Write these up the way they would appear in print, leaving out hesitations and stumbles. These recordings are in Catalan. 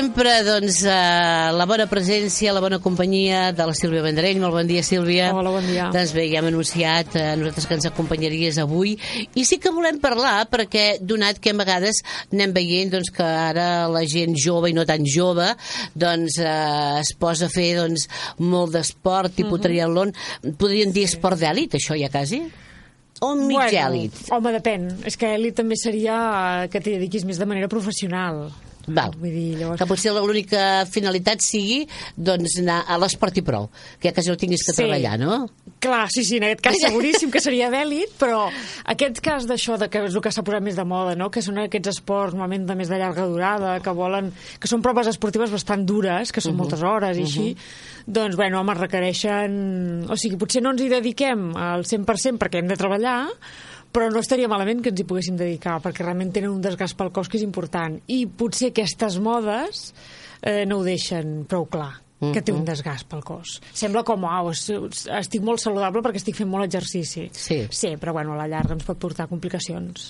sempre, doncs, la bona presència, la bona companyia de la Sílvia Vendrell. Molt bon dia, Sílvia. Hola, bon dia. Doncs bé, ja hem anunciat nosaltres que ens acompanyaries avui. I sí que volem parlar, perquè donat que a vegades anem veient doncs, que ara la gent jove i no tan jove doncs, es posa a fer doncs, molt d'esport, tipus triatlon. Podríem dir esport d'èlit, això ja quasi? O mig èlit? Home, depèn. És que èlit també seria que t'hi dediquis més de manera professional. Val. Vull dir, llavors... Que potser l'única finalitat sigui doncs, anar a l'esport i prou, que ja quasi no tinguis que treballar, no? Clar, sí, en aquest cas seguríssim que seria d'èlit, però aquest cas d'això, que és el que s'ha posat més de moda, no? Que són aquests esports normalment de més de llarga durada, que són proves esportives bastant dures, que són moltes hores i així, doncs, bueno, home, requereixen... O sigui, potser no ens hi dediquem al 100% perquè hem de treballar, però no estaria malament que ens hi poguéssim dedicar, perquè realment tenen un desgast pel cos que és important. I potser aquestes modes no ho deixen prou clar, que té un desgast pel cos. Sembla com, estic molt saludable perquè estic fent molt exercici. Sí, però bueno, a la llarga ens pot portar complicacions.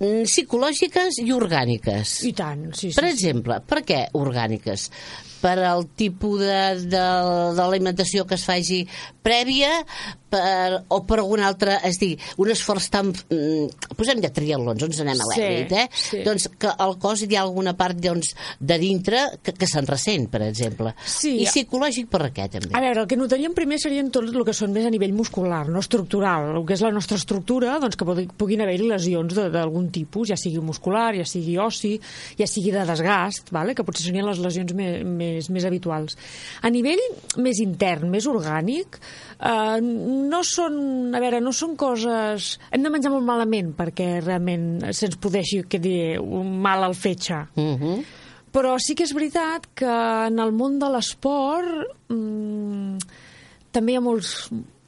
Psicològiques i orgàniques. I tant, sí. Per exemple, per què orgàniques? Per al tipus d'alimentació que es faci prèvia o per algun altre, és dir, un esforç tan... posem ja triatlons, on anem a l'èlit, Sí. Doncs que al cos hi ha alguna part doncs, de dintre que se'n ressent, per exemple. Sí. I psicològic per què, també? A veure, el que notaríem primer serien tot el que són més a nivell muscular, no estructural. El que és la nostra estructura, doncs que puguin haver-hi lesions d'algun tipus, ja sigui muscular, ja sigui ossi, ja sigui de desgast, vale? Que potser serien les lesions més habituals. A nivell més intern, més orgànic, no són coses... Hem de menjar molt malament perquè realment se'ns podeixi un mal al fetge. Però sí que és veritat que en el món de l'esport també hi ha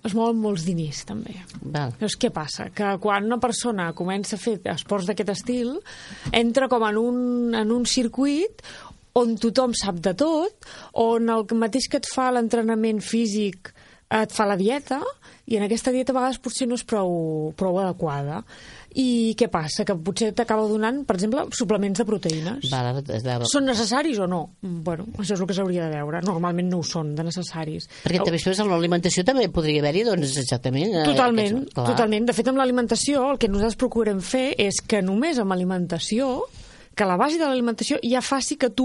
es mouen molts diners, també. Llavors, què passa? Que quan una persona comença a fer esports d'aquest estil, entra com en un circuit on tothom sap de tot, on el mateix que et fa l'entrenament físic et fa la dieta, i en aquesta dieta a vegades potser no és prou adequada. I què passa? Que potser t'acaba donant, per exemple, suplements de proteïnes. Són necessaris o no? Bueno, això és el que s'hauria de veure. Normalment no ho són, de necessaris. Perquè també després en l'alimentació també podria haver-hi, doncs, exactament... Totalment. De fet, amb l'alimentació, el que nosaltres procurem fer és que només amb alimentació, que la base de l'alimentació ja faci que tu,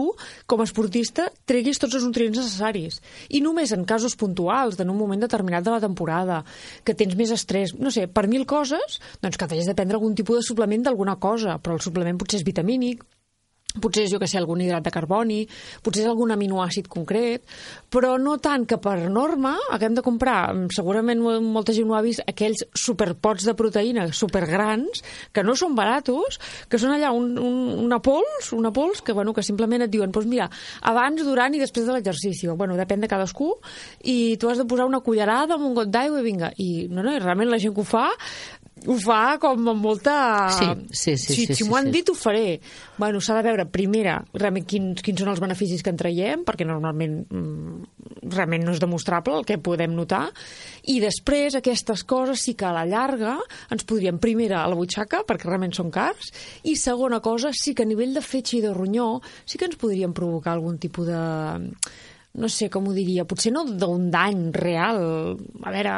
com a esportista, treguis tots els nutrients necessaris. I només en casos puntuals, en un moment determinat de la temporada, que tens més estrès, no sé, per 1000 coses, doncs que t'hagis de prendre algun tipus de suplement d'alguna cosa, però el suplement potser és vitamínic, potser és, jo que sé, algun hidrat de carboni, potser és algun aminoàcid concret, però no tant que per norma haguem de comprar, segurament molta gent ho ha vist, aquells superpots de proteïna supergrans, que no són baratos, que són allà una pols que, bueno, que simplement et diuen, doncs mira, abans, durant i després de l'exercici. Bueno, depèn de cadascú, i tu has de posar una cullerada amb un got d'aigua i vinga. I realment la gent que ho fa com amb molta... Sí. Si m'ho han dit, ho faré. Bueno, s'ha de veure, primera, realment quins són els beneficis que en traiem, perquè normalment realment no és demostrable el que podem notar, i després aquestes coses sí que a la llarga ens podrien, primera, a la butxaca, perquè realment són cars, i segona cosa, sí que a nivell de fetge i de ronyó sí que ens podrien provocar algun tipus de... no sé com ho diria, potser no d'un dany real, a veure,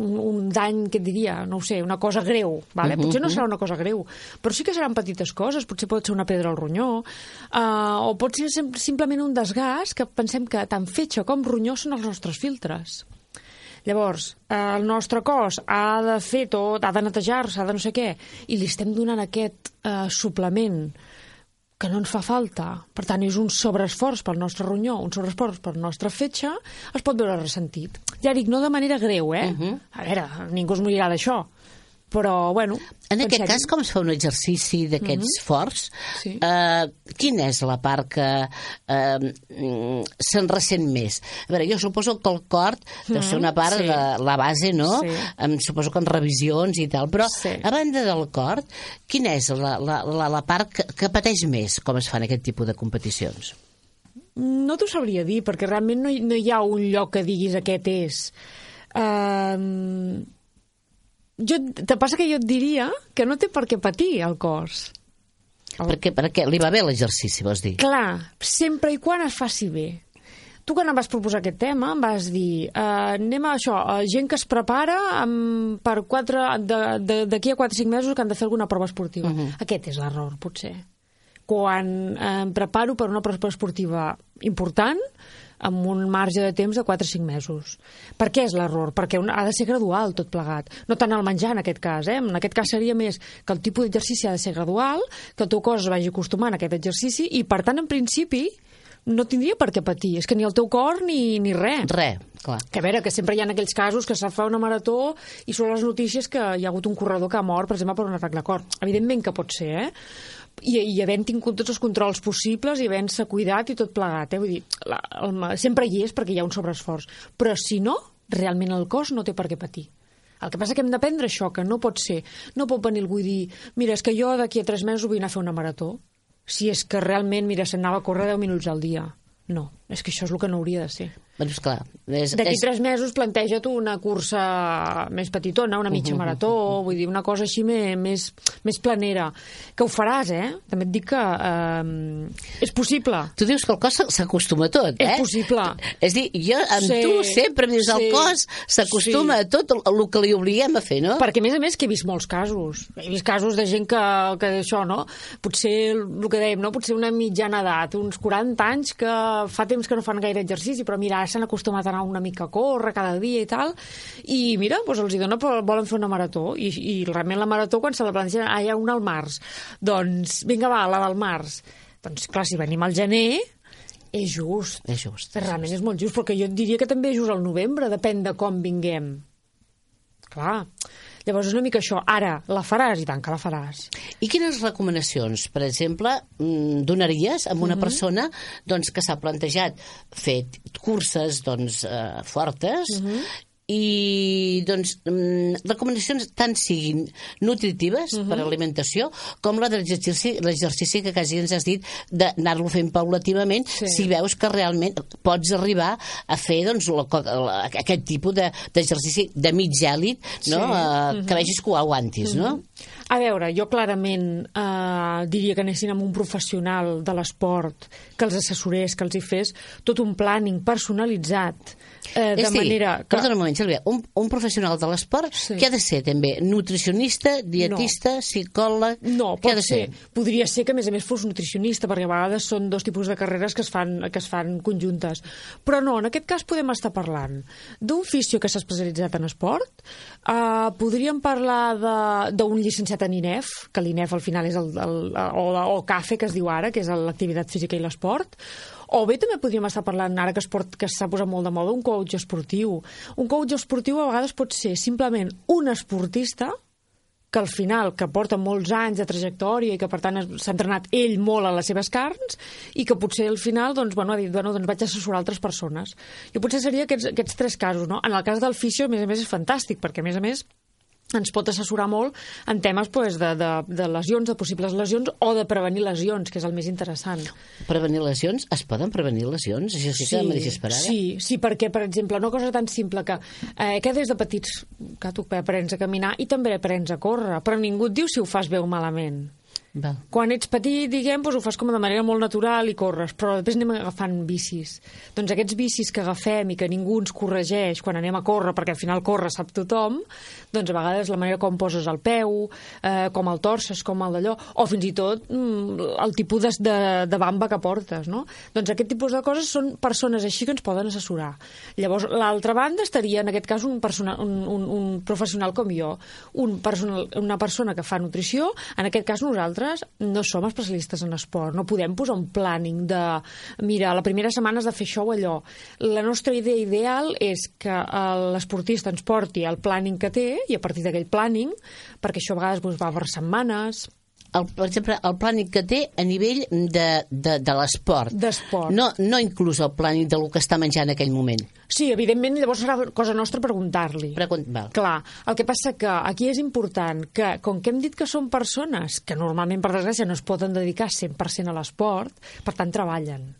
un dany, què et diria, no ho sé, una cosa greu, vale? Potser no serà una cosa greu, però sí que seran petites coses, potser pot ser una pedra al ronyó, o pot ser simplement un desgast, que pensem que tant fetge com ronyó són els nostres filtres. Llavors, el nostre cos ha de fer tot, ha de netejar-se, ha de no sé què, i li estem donant aquest suplement que no ens fa falta, per tant és un sobreesforç pel nostre ronyó, un sobreesforç pel nostre fetge, es pot veure ressentit. Ja dic, no de manera greu, A veure, ningú es morirà d'això, però, bueno... En aquest cas, com es fa un exercici d'aquests forts, quina és la part que se'n ressent més? A veure, jo suposo que el cor deu ser una part de la base, no? Suposo que en revisions i tal, però a banda del cor, quina és la part que pateix més com es fan aquest tipus de competicions? No t'ho sabria dir, perquè realment no hi ha un lloc que diguis aquest és... Te passa que jo et diria que no té per què patir el cos. Perquè li va bé l'exercici, vols dir? Clar, sempre i quan es faci bé. Tu quan em vas proposar aquest tema em vas dir anem a això, gent que es prepara d'aquí a 4 o 5 mesos que han de fer alguna prova esportiva. Aquest és l'error, potser. Quan em preparo per una prova esportiva important, amb un marge de temps de 4 o 5 mesos. Per què és l'error? Perquè ha de ser gradual tot plegat. No tant el menjar en aquest cas. En aquest cas seria més que el tipus d'exercici ha de ser gradual, que el teu cos es vagi acostumant a aquest exercici i, per tant, en principi, no tindria per què patir. És que ni el teu cor ni res. Res, clar. Que a veure, que sempre hi ha aquells casos que s'ha fet una marató i són les notícies que hi ha hagut un corredor que ha mort, per exemple, per un atac de cor. Evidentment que pot ser, i havent tingut tots els controls possibles i havent-se cuidat i tot plegat. Vull dir, sempre hi és perquè hi ha un sobreesforç. Però si no, realment el cos no té per què patir. El que passa que hem d'aprendre això, que no pot ser. No pot venir algú i dir, mira, és que jo d'aquí a 3 mesos vull anar a fer una marató. Si és que realment, mira, s'anava a córrer 10 minuts al dia. No, és que això és el que no hauria de ser. Doncs clar. D'aquí 3 mesos planteja't una cursa més petitona, una mitja marató, vull dir, una cosa així més planera. Que ho faràs, També et dic que és possible. Tu dius que el cos s'acostuma a tot, És possible. És dir, jo amb tu sempre em dius el cos s'acostuma a tot el que li obliguem a fer, no? Perquè, a més, que he vist molts casos. He vist casos de gent que això, no? Potser, el que dèiem, no? Potser una mitjana edat, uns 40 anys que fa temps que no fan gaire exercici, però mira, s'han acostumat a anar una mica a córrer cada dia i tal, i mira, doncs els hi dona, volen fer una marató, i realment la marató, quan se la plantegen, hi ha una al març. Doncs, vinga, va, la del març. Doncs, clar, si venim al gener, és just. És just. Realment és molt just, perquè jo et diria que també és just al novembre, depèn de com vinguem. Clar. Llavors és una mica això. Ara, la faràs? I tant que la faràs. I quines recomanacions, per exemple, donaries a una persona doncs, que s'ha plantejat fer curses fortes i doncs recomanacions tant siguin nutritives per alimentació com la de l'exercici que quasi ens has dit d'anar-lo fent paulativament si veus que realment pots arribar a fer doncs, aquest tipus d'exercici de mig èlit, no? Que vegis que ho aguantis, no? A veure, jo clarament diria que anessin amb un professional de l'esport que els assessorés, que els hi fes tot un planning personalitzat de manera que... Perdona un moment, Sílvia, un professional de l'esport què ha de ser també? Nutricionista, dietista, psicòleg? No, pot ser. Podria ser que a més fos nutricionista, perquè a vegades són dos tipus de carreres que es fan conjuntes. Però no, en aquest cas podem estar parlant d'un fisio que s'ha especialitzat en esport, podríem parlar d'un llicenciat en INEF, que l'INEF al final és o CAFE, que es diu ara, que és l'activitat física i l'esport, o bé també podríem estar parlant, ara que s'ha posat molt de moda, un coach esportiu. Un coach esportiu a vegades pot ser simplement un esportista que al final, que porta molts anys de trajectòria i que per tant s'ha entrenat ell molt a les seves carns i que potser al final ha dit, doncs vaig assessorar altres persones. Jo potser seria aquests 3 casos, no? En el cas del fisio, a més és fantàstic, perquè a més ens pot assessorar molt en temes de lesions, de possibles lesions o de prevenir lesions, que és el més interessant. Prevenir lesions? Es poden prevenir lesions? Això sí que m'ha deixat esperar. Sí, perquè, per exemple, una cosa tan simple que des de petits que tu aprens a caminar i també aprens a córrer, però ningú et diu si ho fas bé o malament. Quan ets petit, diguem, ho fas com de manera molt natural i corres, però després anem agafant bicis. Doncs aquests bicis que agafem i que ningú ens corregeix quan anem a córrer, perquè al final córrer sap tothom, doncs a vegades la manera com poses el peu, com el torces, com el d'allò, o fins i tot el tipus de bamba que portes, no? Doncs aquest tipus de coses són persones així que ens poden assessorar. Llavors, l'altra banda estaria, en aquest cas, un professional com jo, una persona que fa nutrició, en aquest cas nosaltres no som especialistes en esport, no podem posar un planning de, mira, la primera setmana has de fer això o allò. La nostra idea ideal és que l'esportista ens porti el planning que té i a partir d'aquell planning, perquè això a vegades va per setmanes... Per exemple, el planning que té a nivell de l'esport. D'esport. No inclús el planning del que està menjant en aquell moment. Sí, evidentment, llavors serà cosa nostra preguntar-li. Clar, el que passa que aquí és important que, com que hem dit que són persones que normalment, per desgràcia, no es poden dedicar 100% a l'esport, per tant, treballen.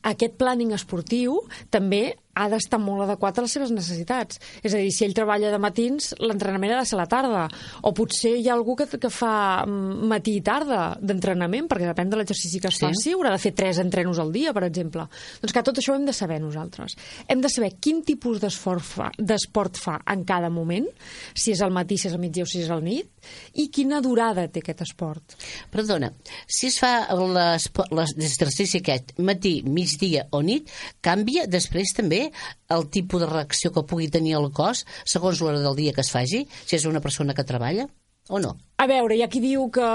Aquest planning esportiu també ha d'estar molt adequat a les seves necessitats. És a dir, si ell treballa de matins, l'entrenament ha de ser a la tarda. O potser hi ha algú que fa matí i tarda d'entrenament, perquè depèn de l'exercici que es faci, haurà de fer 3 entrenos al dia, per exemple. Doncs que tot això ho hem de saber nosaltres. Hem de saber quin tipus d'esport fa en cada moment, si és al matí, si és al migdia o si és al nit, i quina durada té aquest esport. Perdona, si es fa l'exercici aquest matí, migdia o nit, canvia després també el tipus de reacció que pugui tenir el cos segons l'hora del dia que es faci, si és una persona que treballa o no? A veure, hi ha qui diu que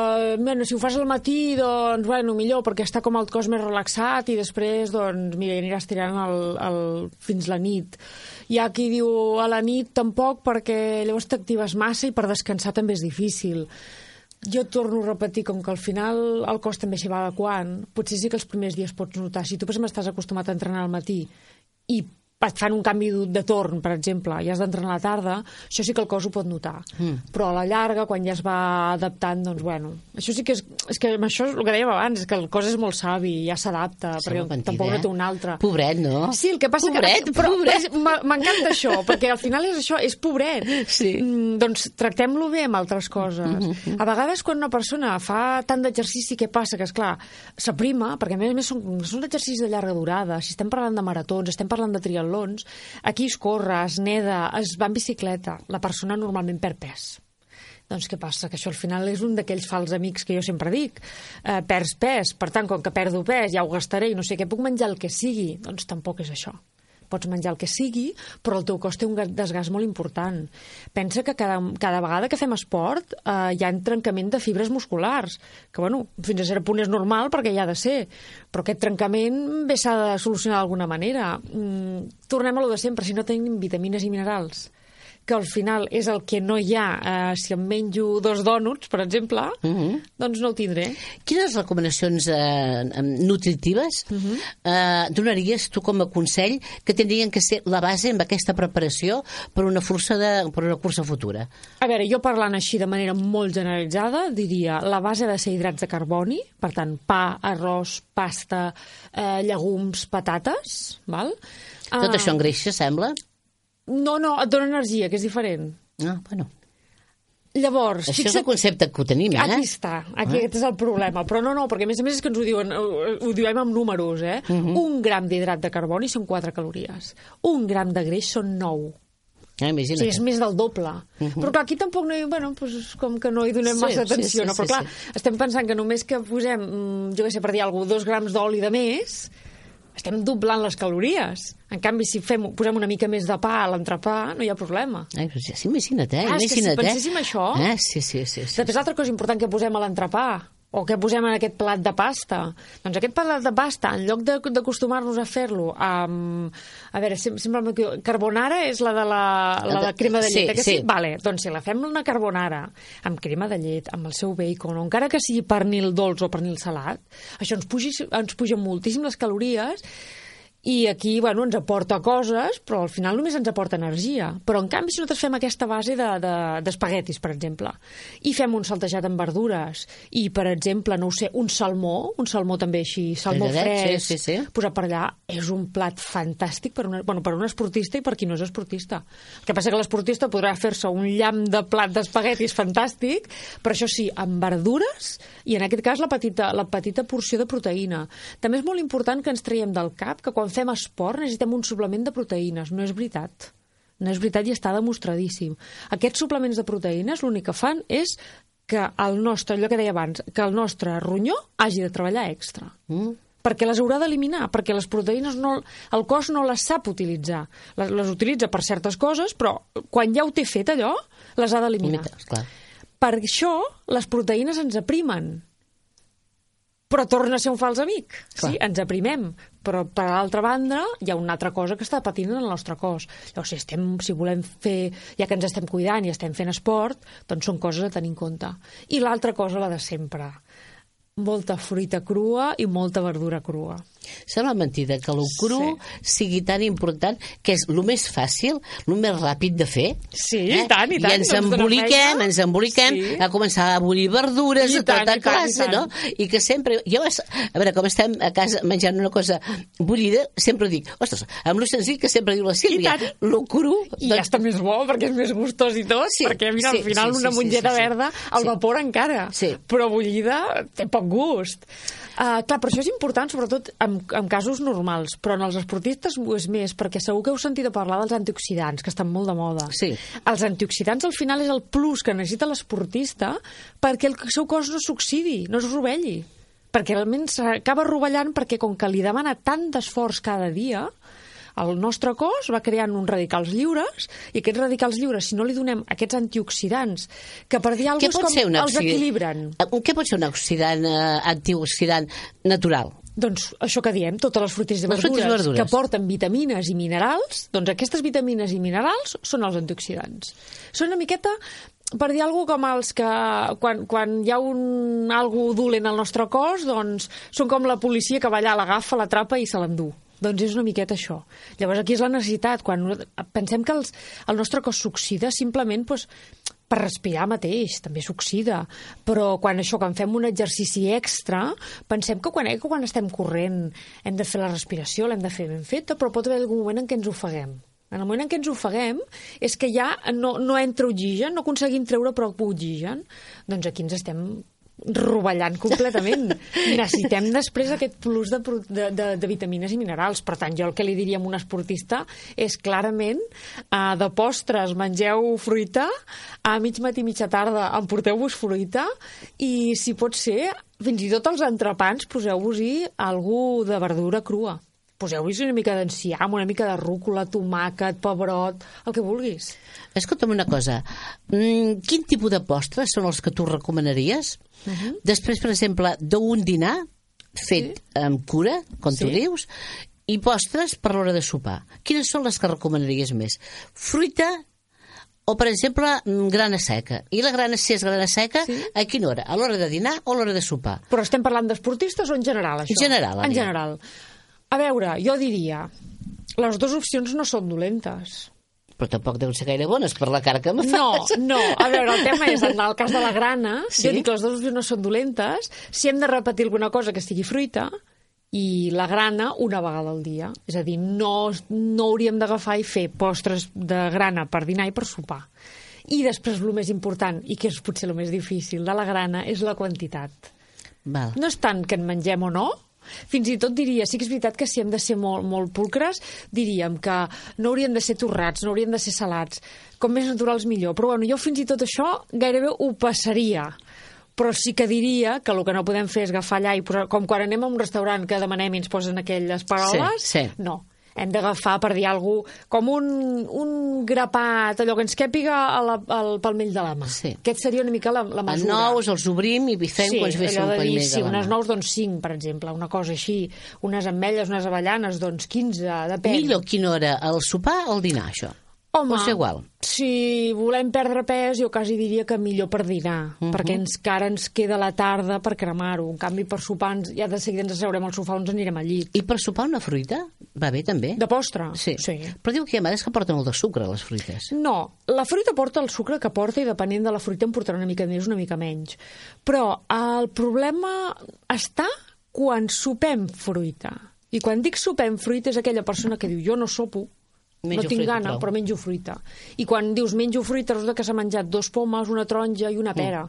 si ho fas al matí, doncs, bueno, millor, perquè està com el cos més relaxat i després, doncs, mira, aniràs tirant fins la nit. Hi ha qui diu a la nit tampoc, perquè llavors t'actives massa i per descansar també és difícil. Jo torno a repetir, com que al final el cos també s'hi va adequant, potser sí que els primers dies pots notar. Si tu, per exemple, estàs acostumat a entrenar al matí i et fan un canvi de torn, per exemple, i has d'entrenar a la tarda, això sí que el cos ho pot notar. Però a la llarga, quan ja es va adaptant, doncs, bueno, això sí que és que això és el que dèiem abans, és que el cos és molt savi, ja s'adapta, perquè tampoc no té un altre. Pobret, no? Sí, el que passa pobret, que... Pobret. M'encanta això, perquè al final és això, és pobret. Sí. Doncs tractem-lo bé amb altres coses. A vegades, quan una persona fa tant d'exercici, què passa? Que, esclar, s'aprima, perquè a més són exercicis de llarga durada. Si estem parlant de maratons, estem parlant de triatlons, aquí es corre, es neda, es va en bicicleta, la persona normalment perd pes. Doncs què passa? Que això al final és un d'aquells fals amics que jo sempre dic. Perds pes, per tant, com que perdo pes ja ho gastaré i no sé què, puc menjar el que sigui. Doncs tampoc és això. Pots menjar el que sigui, però el teu cos té un desgast molt important. Pensa que cada vegada que fem esport hi ha trencament de fibres musculars, que bueno, fins a cert punt és normal perquè hi ha de ser, però aquest trencament bé s'ha de solucionar d'alguna manera. Tornem a lo de sempre, si no tenim vitamines i minerals, que al final és el que no hi ha si em menjo 2 dònuts, per exemple, doncs no ho tindré. Quines recomanacions nutritives donaries tu com a consell que tindrien que ser la base amb aquesta preparació per una cursa futura? A veure, jo parlant així de manera molt generalitzada, diria la base ha de ser hidrats de carboni, per tant, pa, arròs, pasta, llegums, patates, val? Tot això engreixa, sembla? No, et dona energia, que és diferent. Ah, bueno. Llavors... Això és el concepte que ho tenim, Aquí està, aquest és el problema. Però no, perquè a més és que ens ho diuen, ho diem amb números, eh? 1 gram d'hidrat de carboni són 4 calories. 1 gram de greix són 9. Imagina't. Sí, és més del doble. Però clar, aquí tampoc no hi... Bueno, doncs com que no hi donem massa atenció, no? Però clar, estem pensant que només que posem, jo què sé, per dir alguna cosa, 2 grams d'oli de més, estem doblant les calories. En canvi, si posem una mica més de pa a l'entrepà, no hi ha problema. Ai, però ja, imagina't, és que si penséssim això... Sí. Després, l'altra cosa important que posem a l'entrepà, o que posem en aquest plat de pasta, doncs aquest plat de pasta, en lloc d'acostumar-nos a fer-lo amb... A veure, sempre carbonara és la de crema de llet, que sí? Vale, doncs si la fem una carbonara amb crema de llet, amb el seu bacon, o encara que sigui pernil dolç o pernil salat, això ens puja moltíssim les calories. I aquí, bueno, ens aporta coses, però al final només ens aporta energia. Però, en canvi, si nosaltres fem aquesta base d'espaguetis, per exemple, i fem un saltejat amb verdures, i, per exemple, no ho sé, un salmó també així, salmó fresc, posat per allà, és un plat fantàstic per un esportista i per qui no és esportista. El que passa que l'esportista podrà fer-se un llamp de plat d'espaguetis fantàstic, però això sí, amb verdures, i en aquest cas la petita porció de proteïna. També és molt important que ens traiem del cap que quan fem esport necessitem un suplement de proteïnes. No és veritat. No és veritat i està demostradíssim. Aquests suplements de proteïnes l'únic que fan és que allò que deia abans, que el nostre ronyó hagi de treballar extra. Perquè les haurà d'eliminar, perquè les proteïnes el cos no les sap utilitzar. Les utilitza per certes coses, però quan ja ho té fet allò, les ha d'eliminar. Per això les proteïnes ens aprimen. Però torna a ser un fals amic. Sí, ens aprimem. Però, per l'altra banda, hi ha una altra cosa que està patint en el nostre cos. Llavors, si volem fer, ja que ens estem cuidant i estem fent esport, doncs són coses a tenir en compte. I l'altra cosa, la de sempre. Molta fruita crua i molta verdura crua. Sembla mentida que el cru sigui tan important, que és el més fàcil, el més ràpid de fer. Sí, i tant. I ens emboliquem a començar a bullir verdures de tota classe, no? I que sempre... Jo, a veure, com estem a casa menjant una cosa bullida, sempre dic, ostres, amb lo senzill que sempre diu la Sílvia, lo cru... I ja està més bo, perquè és més gustós i tot, perquè mira, al final una mongeta verda, el vapor encara, però bullida té poc gust. Clar, per això és important, sobretot en casos normals, però en els esportistes ho és més, perquè segur que heu sentit a parlar dels antioxidants, que estan molt de moda. Sí. Els antioxidants al final és el plus que necessita l'esportista perquè el seu cos no s'oxidi, no es rovelli, perquè realment s'acaba rovellant perquè com que li demana tant d'esforç cada dia, el nostre cos va creant uns radicals lliures i aquests radicals lliures, si no li donem aquests antioxidants, que per dir alguna cosa com els equilibren. Què pot ser un antioxidant natural? Doncs això que diem, totes les fruites i verdures que porten vitamines i minerals, doncs aquestes vitamines i minerals són els antioxidants. Són una miqueta, per dir alguna cosa com els que quan hi ha algo dolent al nostre cos, doncs són com la policia que va allà, l'agafa, l'atrapa i se l'endú. Doncs és una miqueta això. Llavors aquí és la necessitat. Quan pensem que el nostre cos s'oxida simplement per respirar mateix, també s'oxida. Però quan fem un exercici extra, pensem que quan estem corrent hem de fer la respiració, l'hem de fer ben feta, però pot haver algun moment en què ens ofeguem. En el moment en què ens ofeguem és que ja no entra oxigen, no aconseguim treure prou oxigen. Doncs aquí ens estem rovellant completament. Necessitem després aquest plus de vitamines i minerals. Per tant, jo el que li diria a un esportista és clarament de postres mengeu fruita, a mig matí i mitja tarda emporteu-vos fruita i, si pot ser, fins i tot als entrepans poseu-vos-hi alguna de verdura crua. Poseu-hi una mica d'enciam, una mica de rúcula, tomàquet, pebrot, el que vulguis. Escolta'm una cosa, quin tipus de postres són els que tu recomanaries? Després, per exemple, d'un dinar fet amb cura, com tu dius, i postres per l'hora de sopar. Quines són les que recomanaries més? Fruita o, per exemple, grana seca. I la grana, si és grana seca, a quina hora? A l'hora de dinar o a l'hora de sopar? Però estem parlant d'esportistes o en general, això? En general. A veure, jo diria, les dues opcions no són dolentes. Però tampoc deuen ser gaire bones per la cara que me fas. No, a veure, el tema és, en el cas de la grana, jo dic que les dues opcions no són dolentes, si hem de repetir alguna cosa que estigui fruita, i la grana una vegada al dia. És a dir, no hauríem d'agafar i fer postres de grana per dinar i per sopar. I després, el més important, i que és potser el més difícil de la grana, és la quantitat. No és tant que en mengem o no, fins i tot diria, sí que és veritat que si hem de ser molt pulcres, diríem que no haurien de ser torrats, no haurien de ser salats, com més naturals millor, però bueno, jo fins i tot això gairebé ho passaria, però sí que diria que el que no podem fer és agafar allà i posar, com quan anem a un restaurant que demanem i ens posen aquelles paroles, no. Hem d'agafar, per dir alguna cosa, com un grapat, allò que ens càpiga al palmell de la mà. Aquest seria una mica la mesura. Els nous els obrim i bifem quan es vessa un palmell de la mà. Unes nous, doncs 5, per exemple, una cosa així. Unes ametlles, unes avellanes, doncs 15, depèn. Millor quina hora, el sopar o el dinar, això? Home, és igual. Si volem perdre pes, jo quasi diria que millor per dinar, perquè encara ens queda la tarda per cremar-ho. En canvi, per sopar, ja de seguida ens asseurem al sofà o ens anirem al llit. I per sopar una fruita? Va bé, també? De postre? Sí. Però diu que hi ha mares que porten molt de sucre, les fruites. No, la fruita porta el sucre que porta i depenent de la fruita en portarà una mica més, una mica menys. Però el problema està quan sopem fruita. I quan dic sopem fruita és aquella persona que diu jo no sopo, no tinc gana, però menjo fruita. I quan dius menjo fruita, resulta que s'ha menjat 2 pomes, una taronja i una pera.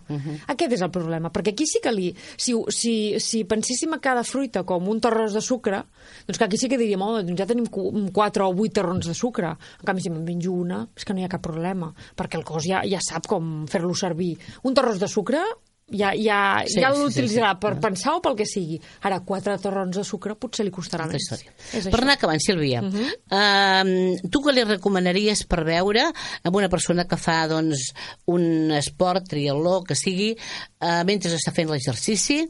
Aquest és el problema, perquè aquí sí que si penséssim a cada fruita com un torrons de sucre, doncs que aquí sí que diríem, doncs ja tenim 4 o 8 torrons de sucre. En canvi, si me'n menjo una, és que no hi ha cap problema, perquè el cos ja sap com fer-lo servir. Un torrons de sucre ja l'utilitzarà per pensar o pel que sigui. Ara, 4 torrons de sucre potser li costarà més. Per anar acabant, Sílvia, tu què li recomanaries per veure amb una persona que fa doncs, un esport, triatló, que sigui, mentre està fent l'exercici,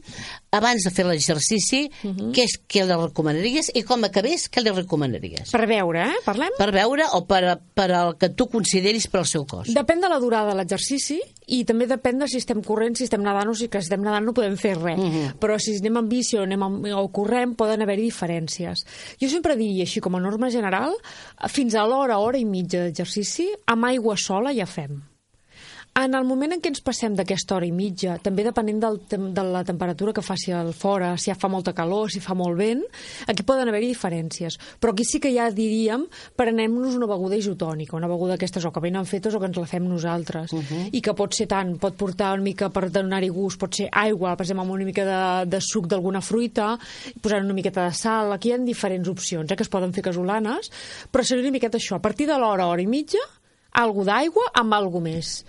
abans de fer l'exercici, què li recomanaries i com acabés, què li recomanaries? Per veure, parlem? Per veure o per al que tu consideris per al seu cos. Depèn de la durada de l'exercici i també depèn de si estem corrent, si estem nedant, o si estem nedant no podem fer res. Però si anem en bici o correm, poden haver-hi diferències. Jo sempre diria, així com a norma general, fins a l'hora, hora i mitja d'exercici, amb aigua sola ja fem. En el moment en què ens passem d'aquesta hora i mitja, també depenent de la temperatura que faci al fora, si fa molta calor, si fa molt vent, aquí poden haver-hi diferències. Però aquí sí que ja diríem, prenem-nos una beguda isotònica, una beguda d'aquestes o que venen fetes o que ens la fem nosaltres. I que pot ser tant, pot portar una mica per donar-hi gust, pot ser aigua, per exemple, amb una mica de suc d'alguna fruita, posar una miqueta de sal. Aquí hi ha diferents opcions, que es poden fer casolanes, però seria una miqueta això. A partir de l'hora, hora i mitja, algo d'aigua amb algo més.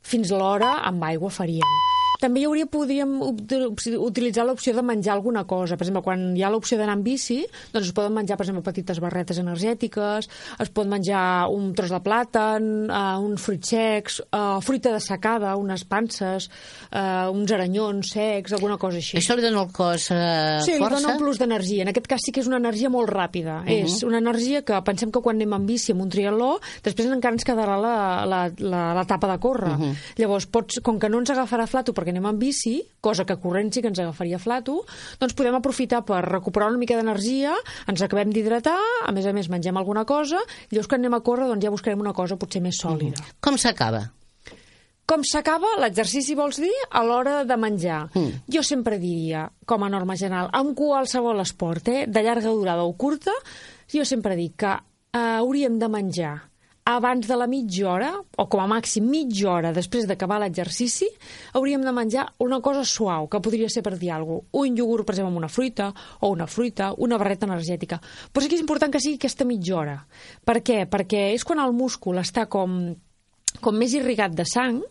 Fins l'hora amb aigua faríem. També podríem utilitzar l'opció de menjar alguna cosa. Per exemple, quan hi ha l'opció d'anar en bici, doncs es poden menjar, per exemple, petites barretes energètiques, es pot menjar un tros de plàtan, uns fruits secs, fruita dessecada, unes panses, uns aranyons secs, alguna cosa així. Això li dona al cos força? Sí, li dona un plus d'energia. En aquest cas sí que és una energia molt ràpida. És una energia que pensem que quan anem en bici amb un triatló, després encara ens quedarà l'etapa de córrer. Llavors, com que no ens agafarà flato perquè anem en bici, cosa que corrent sí que ens agafaria flato, doncs podem aprofitar per recuperar una mica d'energia, ens acabem d'hidratar, a més mengem alguna cosa, i llavors quan anem a córrer doncs ja buscarem una cosa potser més sòlida. Com s'acaba? Com s'acaba l'exercici, vols dir, a l'hora de menjar? Jo sempre diria, com a norma general, amb qualsevol esport, de llarga durada o curta, jo sempre dic que hauríem de menjar abans de la mitja hora, o com a màxim mitja hora després d'acabar l'exercici, hauríem de menjar una cosa suau, que podria ser, per dir alguna cosa, un iogurt, per exemple, amb una fruita, o una fruita, una barreta energètica. Però sí que és important que sigui aquesta mitja hora. Per què? Perquè és quan el múscul està com més irrigat de sang,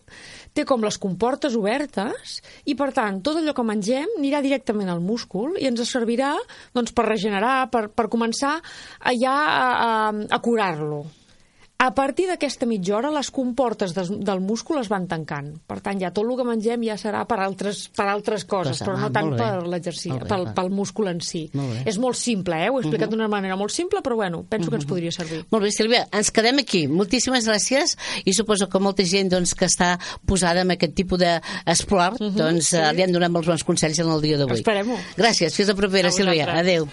té com les comportes obertes i, per tant, tot allò que mengem anirà directament al múscul i ens servirà doncs, per regenerar, per començar ja a curar-lo. A partir d'aquesta mitja hora, les comportes del múscul es van tancant. Per tant, ja tot el que mengem ja serà per altres coses, però no tant per l'exercici, pel múscul en si. És molt simple, ho he explicat d'una manera molt simple, però bueno, penso que ens podria servir. Molt bé, Sílvia, ens quedem aquí. Moltíssimes gràcies i suposo que molta gent que està posada en aquest tipus d'esport li han donat molts bons consells en el dia d'avui. Esperem-ho. Gràcies, fins la propera, Sílvia. Adéu.